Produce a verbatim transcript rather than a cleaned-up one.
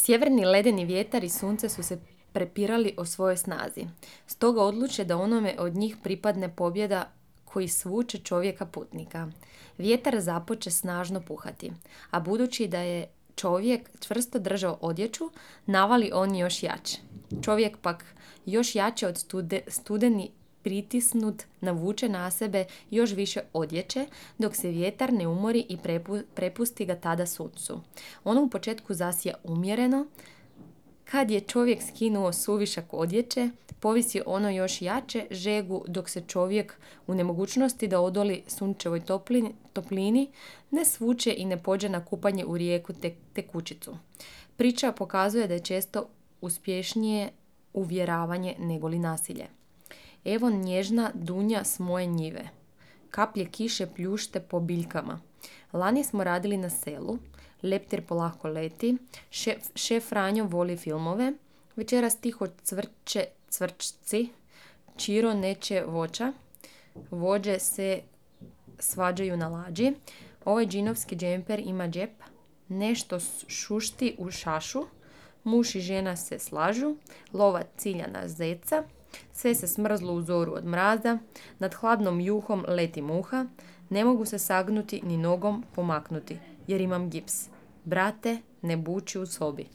Sjeverni ledeni vjetar i sunce su se prepirali o svojoj snazi. Stoga odluče da onome od njih pripadne pobjeda koji svuče čovjeka putnika. Vjetar započe snažno puhati, a budući da je čovjek čvrsto držao odjeću, navali on još jače. Čovjek pak još jače od stude, studeni pritisnut navuče na sebe još više odjeće, dok se vjetar ne umori i prepu, prepusti ga tada suncu. Ono u početku zasija umjereno. Kad je čovjek skinuo suvišak odjeće, povisi ono još jače žegu, dok se čovjek u nemogućnosti da odoli sunčevoj toplini, toplini ne svuče i ne pođe na kupanje u rijeku te, tekućicu. Priča pokazuje da je često uspješnije uvjeravanje nego li nasilje. Evo nježna dunja s moje njive. Kaplje kiše pljušte po biljkama. Lani smo radili na selu. Leptir polako leti. Šef, šef Franjo voli filmove. Večeras tiho cvrče cvrčci. Čiro neće voća. Vođe se svađaju na lađi. Ovaj džinovski džemper ima džep. Nešto šušti u šašu. Muž i žena se slažu. Lovac cilja na zeca. Sve se smrzlo u zoru od mraza, nad hladnom juhom leti muha, ne mogu se sagnuti ni nogom pomaknuti, jer imam gips. Brate, ne buči u sobi.